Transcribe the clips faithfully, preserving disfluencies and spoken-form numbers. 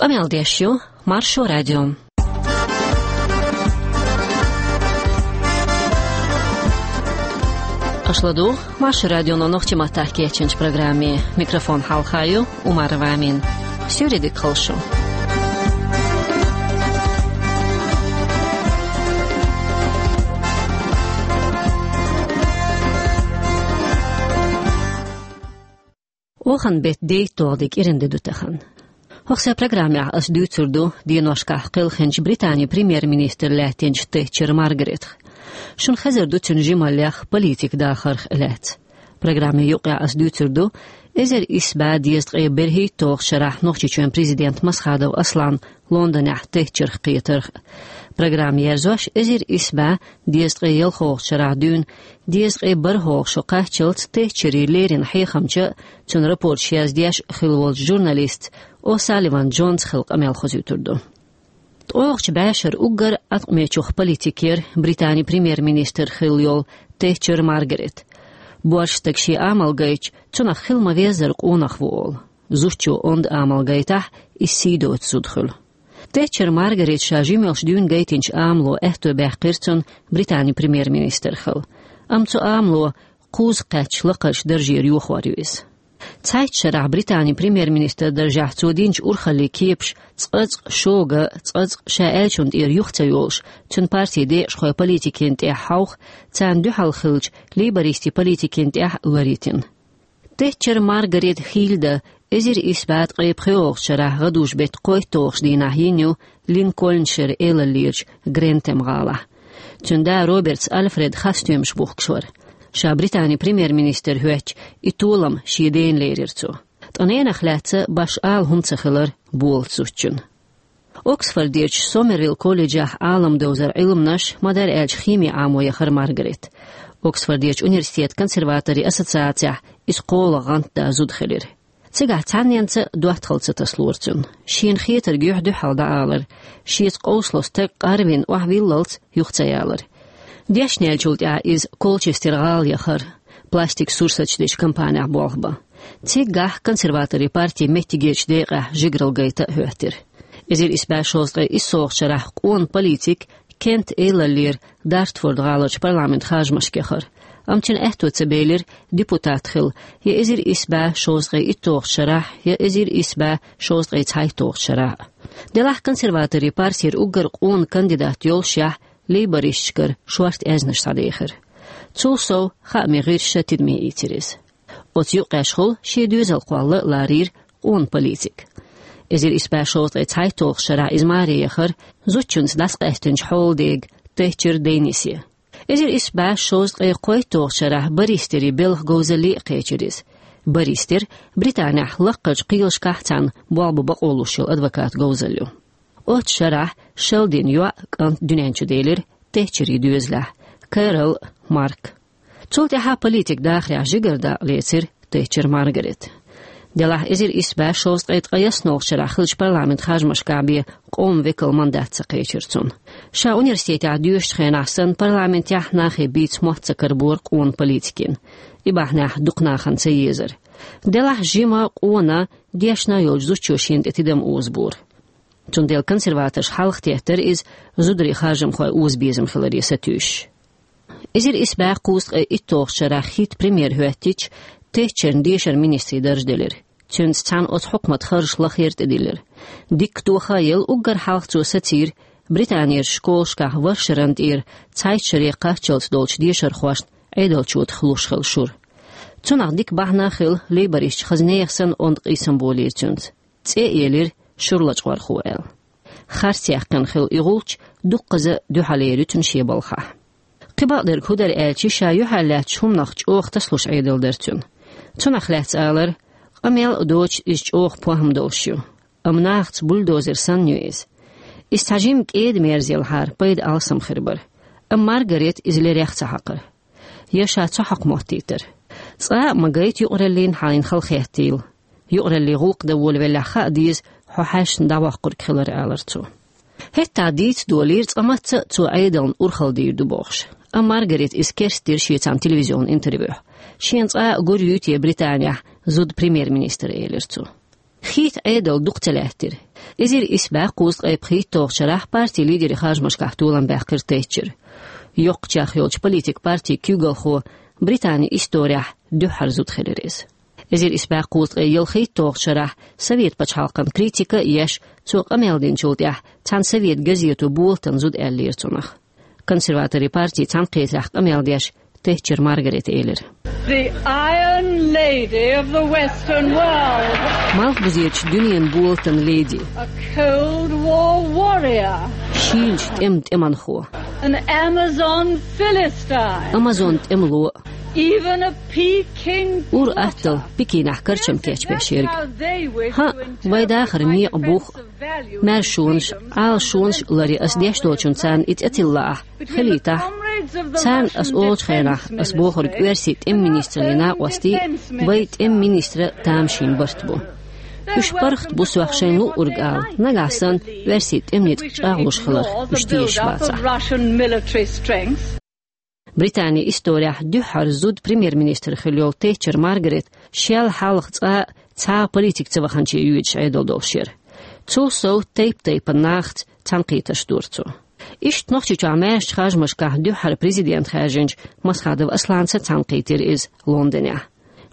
Къамел деш ю Маршо радио. Аша ладугӀу Маршо радионо нохчийн маттахь кечйинчу программе. Микрофон хьалха ю Умарова Амина. Суьйре дика хуьлда шун. Оханан беттан дейтталгӀа де кӀиран де ду тахана. ХӀокху сайн программехь ас дуьйцур ду деношкахь кхелхинчу Британин премьер-министр лаьттинчу Тэтчер Маргаретах. Шуна хезар ду цуьнан жималлех, политикан дахарх лаьцна. Программин юкъахь ас дуьйцур ду эзар исс бӀе дезткъе берхӀитталгӀачу шарахь Нохчийчоьнан президент Масхадов Асланан Лондонехь Тэтчерах кхетарх. Программа ерзош, эзар исс бӀе дезткъе ялхалгӀачу шарахь дуьйна, дезткъе бархӀалгӀа шо кхаччалц Тэтчеран леррина хьехамча а, цуьнан рапорташ яздеш а хилла волчу журналистца О'Салливан Джонца хилла къамел хозуьйтур ду. ТкъоьгӀачу бӀешеран уггар Ӏаткъамечух политик яра Британин премьер-министр хилла йолу Тэтчер Маргарет. Боьрша стага шен амал гайтча, цунах хила ма-веззара къонах ву олу. Зудчо онда амал гайтахь, иза сий доцу зуда хуьлу. Тэтчер Маргарета ша жимчохь дуьйна гайтинчу амало аьтто баьккхира цунна Британин премьер-министр хила. Амма цу амало кхузза кхаьчча лакхарчу даржера йохор ю иза. Цхьайтта шарахь Британин премьер-министр даржехь цо динчу урхаллин кепаш цкъацкъа шога, цкъацкъа ша аьллачунна тӀера юха ца йолуш, цуьнан партин декъашхой политикина тӀехь хьовха, царна дуьхьал хиллачу лейбористийн политикина тӀехь а ларйитина. Тэтчер Маргарет хийла дан эзар исс бӀе ткъе пхоьалгӀачу шарахь гӀадужу-беттан кхойтталгӀачу дийнахь йина ю Линкольншир элаллерчу Грентем-гӀалахь. Цуьнан да Робертс Альфред хасстоьмаш бухкуш вара. Ша Британин премьер-министр хӀоьттича, и толам шен дена лерира цо. Ткъа ненах лаьцна башха ала хӀума ца хилар болу зудчун. Оксфордерчу Сомервилл колледжехь Ӏалам довзара Ӏилманаш, ма-дарра аьлча, хими Ӏамо яхара Маргарет. Оксфордерчу университетан консерваторийн ассоциацехь иза кхоалгӀа гӀантда зуда хилира. Цигахь цхьанненца доттагӀалла ца тасалора цуьнан. Шена хетарг юьхь-дуьхьал дӀаалар, шеца къовсало стаг къарвина охьавиллалц юха ца ялар. Дешнеллачул тӀаьхьа иза Колчестер-гӀала яхара, пластик сурсаташ дечу компанехь болх бан. Цигахь консерваторийн партин меттигерчу декъехь жигаралла гайта а хӀоьттира. Эзар исс бӀе шовзткъе иссалгӀачу шарахь къона политик Кент элаллера Дартфорд-гӀаларчу парламентан харжамашка яхара. Амма цуьнан аьтто ца белира депутат хила я эзар исс бӀе шовзткъе итталгӀачу шарахь, я эзар исс бӀе шовзткъе цхьайтталгӀачу шарахь. Делахь консерваторийн партера уггар къона кандидат йолушехь, лейбористашкара шорта аьзнаш схьадехира. Цул сов, хаамийн гӀирсаша тидаме ийцира иза. Оцу юкъахь хуьлу шен доьзал кхолла а ларийра къона политик. Эзар исс бӀе шовзткъе цхьайтталгӀачу шарахь иза маре яхара зудчуьнца дӀасакъаьстинчу хьолан дега Тэтчер Деннисе. Эзар исс бӀе шовзткъе кхойтталгӀачу шарахь баристийн белхан говзалле а кхечира иза. Баристер Британехь лакхарчу кхелашкахь цхьаьна болх бан бакъо луш йолу адвокатан говзалла ю. Оццу шарахь шала дина йоӀ, кӀант дуьнен чу делира Тэтчерийн доьзалехь, Кэрол а, Марк. Цул тӀаьхьа политикан дахарехь жигара дакъа лецира Тэтчер Маргарет. Делахь эзар исс бӀе шовзткъе ткъе ялхалгӀачу шарахь хиллачу парламентан харжамашкахь бен къоман векалан мандат ца кхечира цунна. Ша университетехь доьшучу хенахь санна, парламентехь нахе бийца мотт ца карабора къона политикина. И бахьанехь дукха нахана ца езара. Делахь жима, къона, дешна йолчу зудчо шена тӀе тидам озабора. Цундела консерваторша хьалхатеттара иза зударий харжамхой озабезам хиларе сатуьйсуш. Эзар исс бӀе кхузткъе итталгӀачу шарахь хӀитта премьер хӀоьттича, Тэтчерна дешаран министрийн дарж делира. Цуьнца цхьаьна оцу хьукматан харжаш лахъяр тӀедиллира. Дикка тоха а елла, уггар хьалха цо сацийра Британерчу школашкахь вархӀ шарна тӀера цхьайтта шаре кхаччалц долчу дешархошна Ӏедалчу тӀехь луш хилла шура. Цунах дика бахьана а хилла, лейбористаша хаза нехан санна онда къийсам болийра цуьнца. ЦӀе а елира шура лачкъорхо аьлла. Харц яьккхина хилла и гӀулч дуккхаза дуьхьал эр ю цуьнан шен балхахь. Кхин бакъдерг хӀун дара аьлча, ша юьхьарлаьцначу хӀуманах чӀогӀа тасалуш Ӏедал дара цуьнан. Цунах лаьцна алара: къамел а доцуш, иза чӀогӀа похӀма долуш ю. Амма нахаца бульдозер санна ю иза. Иза цхьа жима кӀеда-мерза елхьара, пайда алсам хир бара. Амма Маргарета иза лерех ца хьакхара. Я ша ца хьакха моттийтара. Цкъа а ма гайта юкъараллина хьайна халахеттийла. Юкъараллин гӀуллакх дан волавеллехь хаа деза хьо хьаьшна дӀавоккхург хилар, алара цо. ХӀетта дийца долийра цкъа мацца а цо Ӏедална урхалла дийр ду бохуш. Амма Маргарета иза керстдира шеца телевизионан интервьюхь. Шена цкъа а гур юй те Британехь зуда премьер-министр, элира цо. ХӀитта Ӏедал дукха ца лаьттира. Эзар исс бӀаь кхузткъе пхийтталгӀача шарахь партин лидерий харжамашкахь толам баьккхира Тэтчер. Йоккхачех йолчу политикан партин куьйгалхо Британин исторехь дуьххьара зуда хилира иза. Эзар исс бӀаь кхузткъе ялхийтталгӀача шарахь Совет пачхьалкхан критика а еш, цо къамел динчул тӀаьхьа цхьана совет газето болатан зуда аьллера цунах. Консерваторийн партин цхьаьнакхетарехь къамел деш, Тэтчер Маргарета элира: The Iron Lady of the Western World. Малхбузерчу дуьненан болатан леди. A Cold War warrior. Шийлачу тӀеман тӀеманхо. An Amazon Philistine. Амазон тӀемало. Even a Peking quarter. Ур-атталла Пекинехь карчам кечбеш ерг. ХӀаъ, вайн дахаран некъан бух, маьршонаш, Ӏалашонаш а ларъе ас деш долчунна царна и цӀе тилла ахь, хилийтахь. Царна ас олучу хенахь ас бохург оьрсийн тӀеман министраллин накъостий, вайн тӀеман министран тамашийна барт бу. Уьш паргӀат бу сох шайна луъург ала, нагахь санна оьрсийн тӀеман ницкъ чӀагӀлуш хиларх уьш тешаш бацахь. Британин исторехь дуьххьара зуда премьер-министр хилла йолу Тэтчер Маргарет шел хьалха цкъа а цхьа а политика ца ваханче йоьдуш Ӏедал долуш яра. Цул сов тайп-тайпана нахаца цхьаьнакхетарш дора цо. Иштта Нохчийчохь маьршачу харжамашкахь дуьххьара президент хаьржинчу Масхадов Асланца цхьаьнакхийтира иза Лондонехь.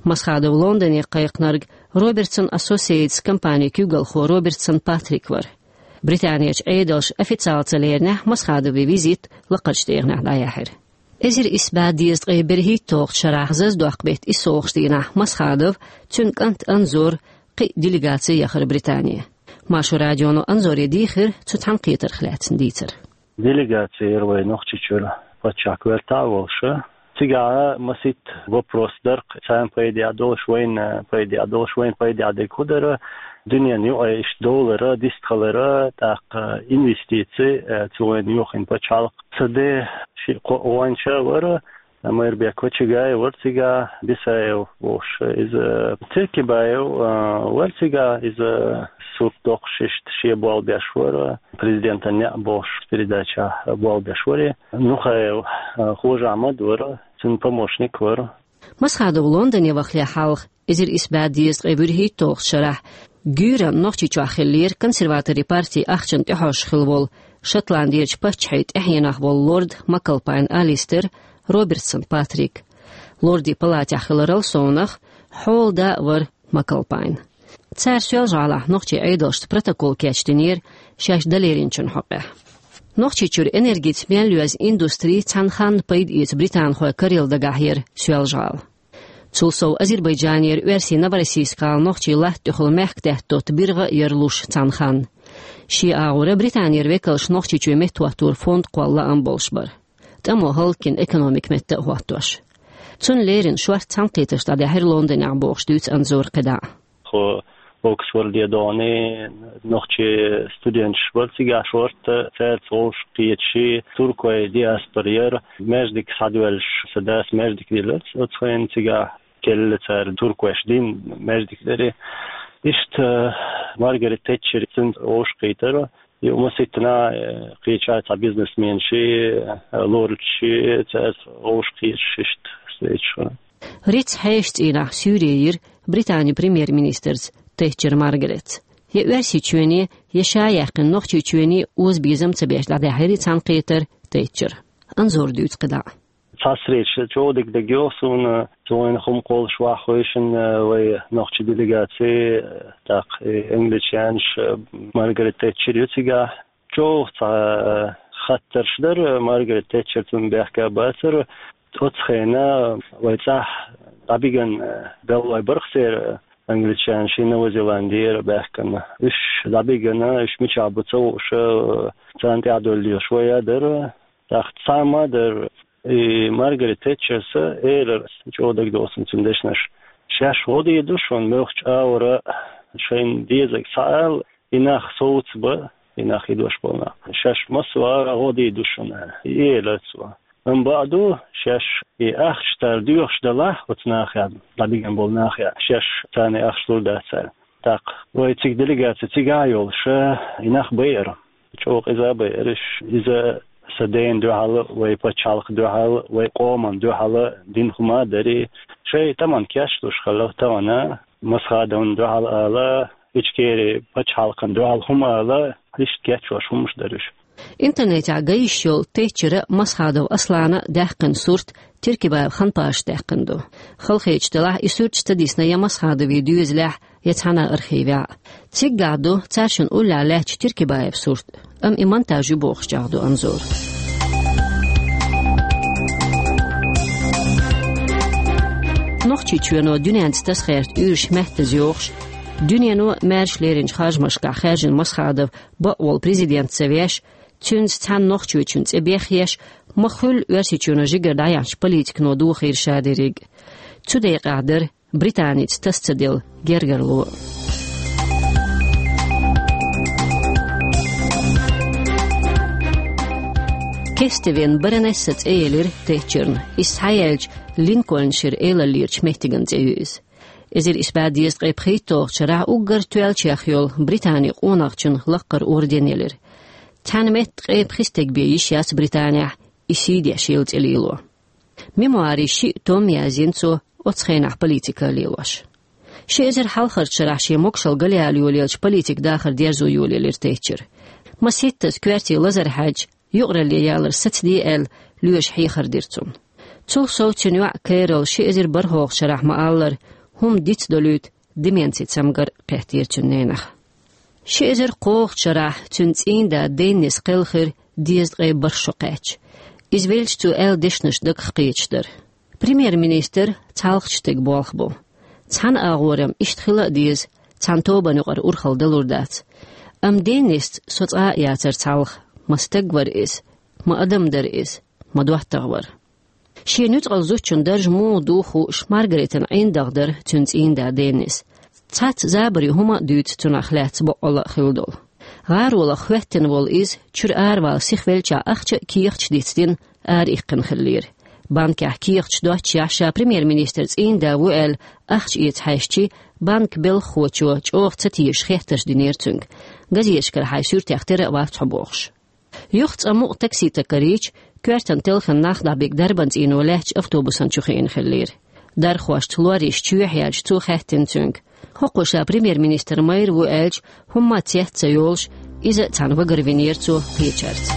Масхадов Лондоне кхайкхинарг Robertson Associates компанин куьйгалхо Робертсон Патрик вара. Британерчу Ӏедалша официалан ца леринехь Масхадовн визит лакхарчу тӀегӀанехь дӀаяьхьира. Эзар исс бӀе дезткъе берхӀитталгӀачу шарахь Зазадоккху-беттан иссалгӀачу дийнахь Масхадов, цуьнан кӀант Анзор, кхин а делегаци яхара Британе. Маршо радионо Анзоре дийхира цу цхьаьнакхетарх лаьцна дийцар. Делегаци яра вай Нохчийчуьра паччахьан коьртехь а волуш. Цигахь масийтта вопрос дара-кх, царна пайде а долуш, вайна пайде а долуш, вайна пайде а дерг хӀун дара, дуьненан юкъе иштта доллар дистхилар, тӀаккха инвестици, э, цу вайна йохийна пачхьалкх. Ца де шиъ-кхоъ гӀоьнча а вара, Майрбек Кочегай вара цигахь, Бисаев волуш, иза Циркибаев, а, вара цигахь, иза сурт доккхуш иштта шен болх беш вара, президентан неӀ бохуш передачехь болх беш вара. Нухаев, а, Хож-Ахьмад вара, цуьнан помощник вара. Масхадов Лондоне вахале хьалха, эзар исс бӀе дезткъе вуьрхӀитталгӀачу шарахь, гуьйранна Нохчийчохь хиллера консерваторийн партин ахчанна тӀехьожуш хилла волу, Шотландерчу паччахьан тӀаьхьенах волу лорд Макалпайн Алистер, Робертсон Патрик. Лордийн палатехь хиларал совнах, хьолада а вара Макалпайн. Цара Соьлжа-ГӀалахь нохчийн Ӏедалшца протокол кечдинера шаьш далеринчун хьокъехь. Нохчийчуьра энергица мел йоьзна индустри цхьана ханна пайда эца британхойн карийла дагахь яра Соьлжа-ГӀала. Цул сов Азербайджанера оьрсийн Новороссийск-гӀала нохчийн латта тӀехула мехкдаьтта дотту биргӀа а яра луш цхьана ханна. Шен агӀора Британера векалш Нохчийчоь меттахӀоттор фонд кхолла лаам болуш бара. ТӀамо хӀаллакйина экономика метта а хӀоттош. Цунна леррина шортта цхьаьнакхетарш дӀадаьхьира Лондонехь бохуш дуьйцу Анзора кхидӀа. Тхо Оксфорде догӀний нохчийн студенташ бара цигахь шортта, цаьрца вовшахкхеташ, туркойн диаспора яра, маьждиг схьадоьллуш, сан дас маьждиг диллира оцу хенахь цигахь, кхелла цара туркойш дина маьждиг дара. Иштта Маргарет Тэтчер цуьнца вовшахкхийтира. Юха масийтта нах, э, кхеча цхьа бизнесменаш, э, лордаш, цаьрца вовшахкхеташ иштта встречаш. Рицкъ хьешан цӀийнахь суьйре йира Британин премьер-министрца Тэтчер Маргаретца. Я Оьрсийчоьне, я ша яьккхина Нохчийчоьне озабезам ца беш дӀадаьхьира и цхьаьнакхетар Тэтчера. Анзора дуьйцу кхидӀа. Цхьа встреча чӀогӀа дика дагайогӀу суна, цу вайна хӀума кхоллуш ваха хевшина, вай нохчийн делегаци, тӀаккха и англичанаш, Маргарет Тэтчер ю цигахь. ЧӀогӀа цхьа хаттарш дара, Маргарет Тэтчер цунна бехке бацара. Оцу хенахь вай цӀахь дӀабигина галлой бара-кх церан, англичанаш, Новая Зеландия баьхкина. Уьш дӀабигина, уьш мичахь бу ца хууш, царна тӀаьхьадовла лелаш вай а дара. ТӀаккха цхьа хӀума а дара, и Маргарет Тэтчерс элира, чӀогӀа дагадогӀу суна цуьнан дешнаш: шаьш гӀо дийр ду шуна, муьлххачу агӀора шайна дезарг схьаала, и нах совцабан, и нах, и дош болу нах. Шаьш массо а агӀора гӀо дийр ду шуна, и элира цо. Амма бакъду, шаьш и ахча тӀера доьхуш далахь оцу нахехь, дӀабигина болу нахехь, шаьш царна и ахча лур дац аьлла. ТӀаккха вай цига делегаци цигахь а йолуш, и нах байара. ЧӀогӀа къиза а байара уьш. Иза сан дена дуьхьал а, вай пачхьалкхан дуьхьал а, вай къоман дуьхьал а дина хӀума а дара. Шайн тӀаман кечлуш хилла тахана, Масхадовна дуьхьал ала, Ичкери пачхьалкхан дуьхьал хӀума ала, иштта кечвеш хӀумаш дара уьш. Интернетехь ган йиш йолу Тэтчера а, Масхадов Аслана а даьккхина сурт Тиркибаев Ханпаша даьккхина ду. Халахеташ делахь, и суьрташ ца дисна я Масхадовн доьзалехь, я цхьана а архивехь. Циггахь ду цаьршиннан уллехь лаьттачу Тиркибаевн сурт, амма и монтаж ю бохуш чӀагӀдо Анзора. Нохчийчоьно дуьненца тасагӀерта уьйраш меттаза йохуш, дуьнено маьрша леринчу харжамашкахь хаьржина Масхадов бакъволу президент ца веш, цуьнца цхьаьна нохчочун цӀе бехъеш, ма-хуьллу Оьрсийчоьно жигара дӀаяьхьначу политикано дохийра ша дерриг. Цу декъехь дара Британица таса ца делла гергарло. Кестевен баронесса цӀе елира Тэтчерна. Иза схьаелча, Линкольн-шира элаллерачу меттиган цӀе ю иза. Эзар исс бӀе дезткъе пхийтталгӀачу шарахь уггар тоьллачех йолу Британин къонахчун лаккхара орден елира. Цхьана метта ткъе пхи стаг бен йиш яц Британехь и сий деш йолу цӀе лело. Мемуарийн шиъ том язйина цо, оцу хенахь политика лелош. Ши эзар хьалхарчу шарахь шен могушалла галъяла йолаелча, политикан дахар дерзо йолаелира Тэтчер. Маситтаза коьрте лазар хьаьжча, юкъаралле ялар сацаде аьлла, лоьша хьехар дира цунна. Цул сов цуьнан йоӀ Кэрол ши эзар бархӀалгӀачу шарахь ма-аллара, хӀума дицдолуьйту деменцин цамгар кхеттера цуьнан ненах. Ши эзар кхоалгӀачу шарахь цуьнан цӀийнда Деннис кхелхира дезткъе бархӀ шо кхаьчча. Иза велча, цо аьлла дешнаш дагах кхеташ дара. Премьер-министр цхьалгӀачу стеган болх бу. Цхьана агӀор-м иштта хила а деза, цхьана тобанна юкъара урхалла далур дац. Амма Деннисца со цкъа а яцара цхьалха, ма стаг вара иза, ма адам дара иза, ма доттагӀа вара. Шен нуьцкъала зудчун дарж муха ду хууш, Маргаритан ӀиндагӀ дара цуьнан цӀийнда Деннис. Цхьацца забаре хӀума а дуьйцу цунах лаьцна боккъалла а хилла долу. ГӀаролах хӀоьттина волу иза, чуьра аравала сихвеллачохь ахча а, кехаташ а дицдина, араиккхина хиллера. Банкехь кехаташ доццушехь, ша премьер-министран цӀийнда ву аьлла, ахча эца хьаьжча, банкан белхахочо чӀогӀа ца тешаш хеттарш динера цуьнга. Газеташкара хьайн суьртех тера а вац хьо бохуш. Юха цкъа мукъа такси таккхарийча, коьртана телхина нах дӀабига дарбан цӀийно лаьттачу автобусан чу хиъна хиллера. Дархошца лорриш чоьхьаяьлча, цо хаьттина цуьнга: «ХӀокхо ша премьер-министран майра ву?» аьлча, хӀумма а цец ца йолуш, иза а цхьаьна вагарвинера цо кхечаьрца.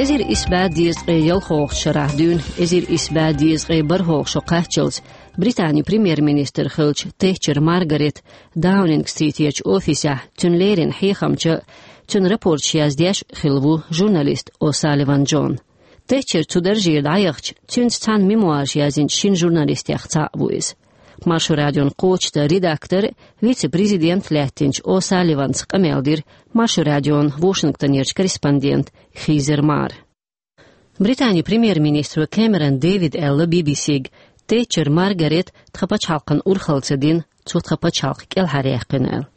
Эзар исс бӀе дезткъе ялхолгӀачу шарахь дуьйна эзар исс бӀе дезткъе бархӀолгӀа шо кхаччалц Британин премьер-министр хиллачу Тэтчер Маргарет Даунинг-стритерчу офисехь цуьнан леррина хьехамча а, цуьнан рапорташ яздеш а хилла ву журналист О'Салливан Джон. Тэтчер цу даржера дӀаяхча, цуьнца цхьаьна мемуараш язйинчу шина журналистех цхьаъ ву иза. Маршо радион кхочушдан редактор а, вице-президент а лаьттинчу О'Салливанца къамел дира Маршо радион Вашингтонерчу корреспондента Хизер Мара. Британин премьер-министро Кэмерон Дэвида аьлла Би-би-сига, Тэтчер Маргарет тхан пачхьалкхана урхалла ца дина, цо тхан пачхьалкх кӀелхьаръяьккхина аьлла.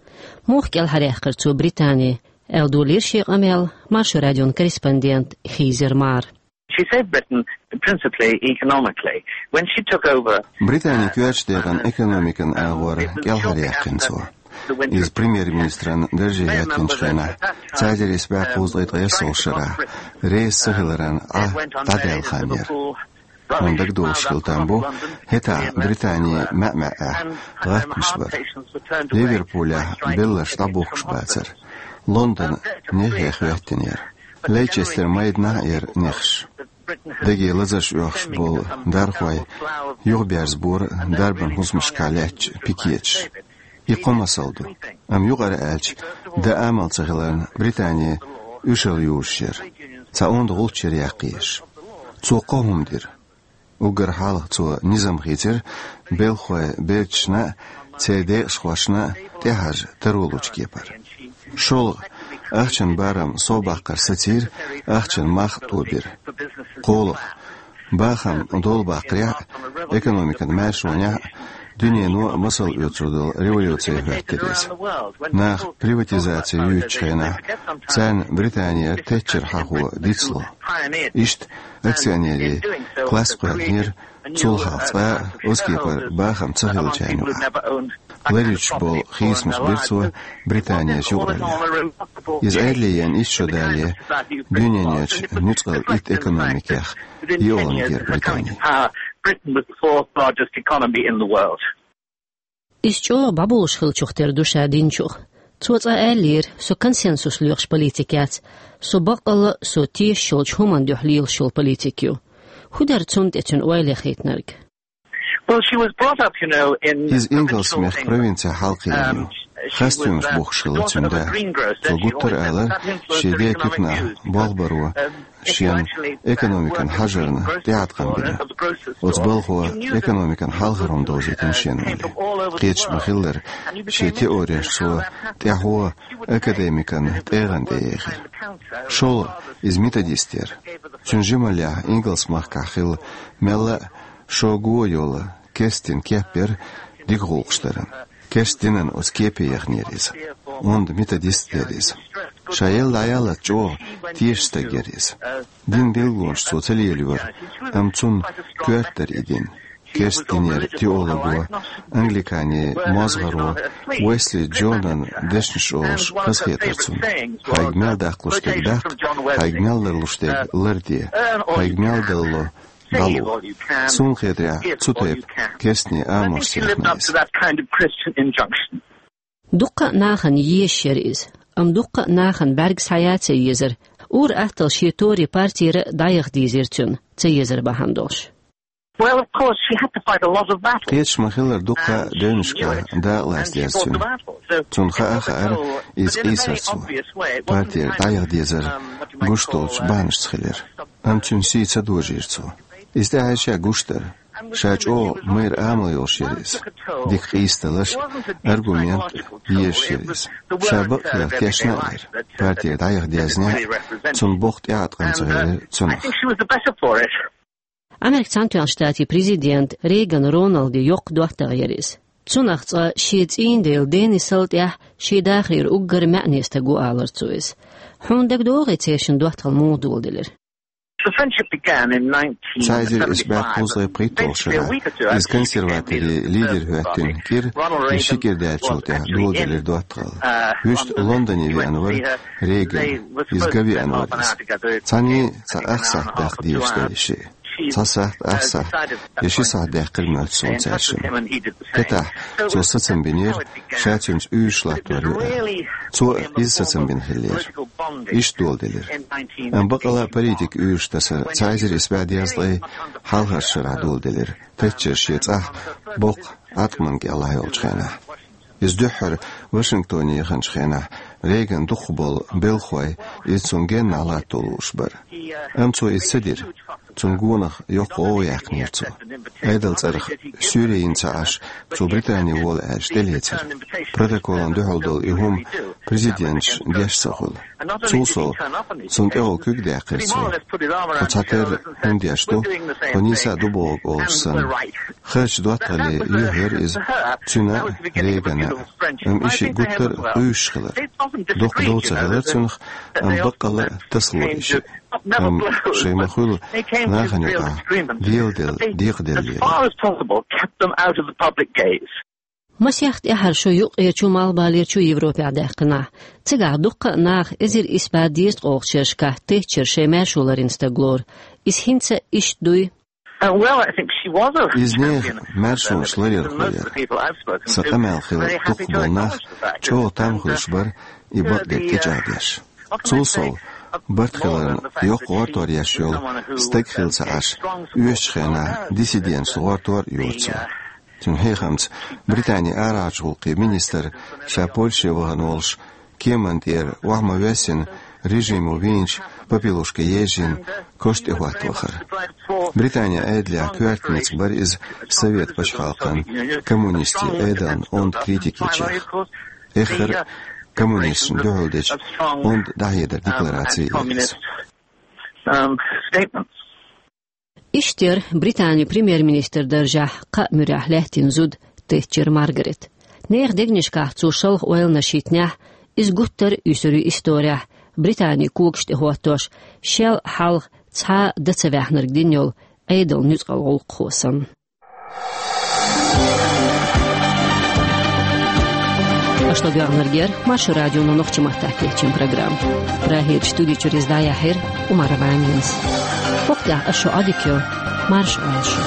Муха кӀелхьаръяьккхира цо Британи, аьлла, долийра шен къамел Маршо радион корреспондента Хизер Мара. She saved Britain principally economically. When she took over, Британи коьртачу декъана экономикан агӀор кӀелхьаръяьккхина цо. Иза премьер-министран дарже яьккхинчу хенахь, цхьа эзар исс бӀе кхузткъе ткъайоьсналгӀачу шарахь, реза ца хиларан Ӏа дӀадаьлла хан яра. Хьуна дагадогӀуш хила там бу, хӀетахь Британи маьӀ-маьӀӀехь гӀаттамаш бара. Ливерпулехь белларш дӀабухкуш бацара. Лондон нехех хӀоьттина яра. Лейчестер майданахь а яра нехаш. Деге лазарш оьхуш болу дархой юхаберзабора дарбан хӀусамашкахь лаьттачу пикеташа. И кхо масал ду. Амма юкъара аьлча, дан амал ца хиларна, Британи уьшалла юзуш яра. Цхьа онда гӀулч яра яккха езаш. Цо кхо хӀума дира. Уггар хьалха цо низам хийцира белхахойн берташна а, церан декъашхошна а тӀехьажа таро лучу кепара. ШолгӀа, ахчан барам совбаккхар сацийра, ахчан мах а тобира. КхоалгӀа, бахам долабаккхарехь а, экономикан маьршонехь а дуьнено масал оьцур долу революци хӀоьттира иза. Нах приватизаци юьйцучу хенахь, царна Британера Тэтчер хьахо дицло. Иштта акционерийн класс кхоьллинера, цул хьалха цкъа а оцу кепара бахам ца хиллачарна юкъахь. Ларъеш болу хийцамаш бира цо Британерчу юкъаралле. Иза Ӏедале еана итт шо далале, дуьненан нуьцкъала итт экономикех йоьалгӀаниг яра Британи. Britain was the fourth largest economy in the world. Иза чӀогӀа бӀаболуш хиллачух тера ду ша динчух. Цо цкъа аьллера: «Со консенсус лоьхуш политик яц. Со баккъалла а, со тешаш йолчу хӀуманна дуьхьа лелаш йолу политик ю». ХӀун дара цунна тӀе цуьнан ойла яхийтинарг? Well, she was brought up, you know, in Иза Ингалс-мехкан провинцехь хьалакхиъна ю. Хастамаш бохуш хилла цуьнан да. Цо гуттар а алара, шен ден туьканахь болх баро шена экономикан хьажарна тӀеӀаткъам бина. Оцу балхо экономикан хьалхара хӀума довзийтина шена олий. Кхеташ ма-хиллара, шен теореш цо тӀаьхьо академикан тӀегӀан тӀе ехира. ШолгӀа иза методист яра. Цуьнан жималлехь Ингалс-махкахь хилла мелла а шога йолу керстан кеп яра дика гӀуллакхаш даран. Керстан динан оцу кепе яханера иза. Онда методист яра иза. Ша елла дӀаяллалц чӀогӀа тешаш стаг яра иза. Динан билгалонаш цо ца лелайора, амма цунна коьрта дара и дин. Керстан динера теолого, англиканийн мозгӀаро Уэсли Джонан дешнаш олуш хазахетара цунна. Хьайга мел даккхалуш дерг даккха, хьайга мел ларлуш дерг ларде, хьайга мел далло дӀало. Суна хетарехь, цу тайпа керстан амалш ца яхана иза. Дуккха а нахана езаш яра иза, амма дуккха а нахана бӀаьрг схьаян ца езара. Ур-атталла шен тори партера дӀаяха дийзира цуьнан, ца езар бахьана долуш. Well, of course, she had to fight a lot of battles. Кхеташ ма-хиллара, дуккха а девнашкахь дакъалаца деза цуьнан. Цунна хаа а хаьара, иза къийсар цо. Партера дӀаяха дезар гуш долчу бахьанашца хилира. Амма цуьнан сий ца дожийра цо. Иза тӀаьхье ша гуш дара. Ша чӀогӀа майра амал йолуш яра иза. Дика къийсадалаш, аргумент езаш яра иза. Ша бакъ хилар тешна а яра. Партера дӀаяха дезнехь а, цунна боккха тӀеӀаткъам ца хилира цунах. Америкин Цхьаьнатоьхначу Штатийн президент Рейган Роналдин йоккха доттагӀа яра иза. Цунах цкъа шен цӀийнан дела Денисал тӀехь шен дахарера уггар маьӀне стаг ву алара цо иза. Хьуна дагадогӀий церан доттагӀалла муха доладелира? The friendship began in nineteen seventy-five. Цхьа эзар исс бӀе кхузткъе пхийтталгӀачу шарахь иза консерваторийн лидер хӀоьттина кӀира, и ши кӀира даьллачул тӀаьхьа доладелира доттагӀалла. Вуьшта Лондоне веана вара Рейган, иза ган веана вара иза. Цхьаьний цхьа ах сахьт даккха дезаш дара и шиъ. Цхьа сахьт, ах сахьт, я ши сахьт даьккхира моьтту суна цаьршимма. ХӀетахь цо сацам бинера, ша цуьнца уьйраш латтор ю аьлла. Цо а иза сацам бина хиллера. Иштта доладелира. Амма бакъалла а политикан уьйраш тасар цхьа эзар исс бӀе дезткъе хьалхарчу шарахь доладелира, Тэтчер шен цӀахь боккха Ӏаткъамна кӀелахь йолчу хенахь. Иза дуьххьара Вашингтоне яханчу хенахь Рейган дукхахболу белхалой иза цунна геннахь латто лууш бара. Амма цо иза ца дира. Цунна гонах йоккха гӀовгӀа яьккхинера цо. Ӏедалан цӀарах суьйре йина ца Ӏаш, цо Британе вола аьлча тӀелецира. Протоколна дуьхьал долу и хӀума президенташа деш ца хуьлу. Цул сов, цунна тӀехула куьг даьккхира цо. Тхо цхьатерра хӀума деш ду, тхо нийса а ду бохург олуш санна. Харачу доттагӀалле юьхь яра иза, цуьнан а, Рейганан а. Амма и шиъ гуттар а къуьйсуш хилира. Доккха дов ца хилира цуьнах, амма баккъалла а тасало и шиъ. Амма шайн ма-хуьллу нахана юкъахь деладелла декъаделлера. As far as possible, kept them out of the public gaze. Масех тӀаьхьара шо юккъерчу а, малхбалерчу а Европехь даьккхинехь, цигахь дуккха а наха эзар исс бӀе дезткъалгӀачу шерашкахь Тэтчер шайн маьршо ларйина стаг лору. Иза хӀинца а иштта дуй? Uh, well, I think she was a Иза нехан маьршонаш ларъярхо яра. Сан къамел хилла дукхахболу нах чӀогӀа там хуьлуш бара и бакъдерг тӀечӀагӀдеш. Цул сов, барт хиларна йоккха гӀортор еш йолу стаг хилла ца Ӏаш, оьшучу хенахь диссиденташца гӀортор а йора цо. Цуьнан хьехамца, Британин арахьарчу гӀуллакхийн министр, ша Польше вахана волуш, кеманна тӀера охьа ма-воьссина, режимо вийначу папелушка ежийна, кошан тӀе хӀотта вахара. Британин Ӏедалехь коьрта ницкъ бара иза совет пачхьалкхан коммунистийн Ӏедална онда критика ечех. Эххар а коммунисташна дуьхьал дечу онда дӀахьедар деклараци яра иза. Um, statements. Иштта яра Британин премьер-министр даржехь кхаа муьрехь лаьттина зуда Тэтчер Маргарет. Нехан дегнашкахь цо шалха ойланаш йитинехь, иза гуттар а уьсур ю исторехь, Британин когаш тӀе хӀоттош, шел хьалха цхьа а дан ца ваьхнарг дина йолу Ӏедалан нуьцкъала гӀуллакхо санна. Аша ладоьгӀнарг яра Маршо радион нохчийн маттахь кечйина программа. Прагерчу студи чуьра иза дӀаяьхьира Умарова Аминас. ХӀокху тӀехь аса шун Ӏодика йо, марша Ӏойла шу.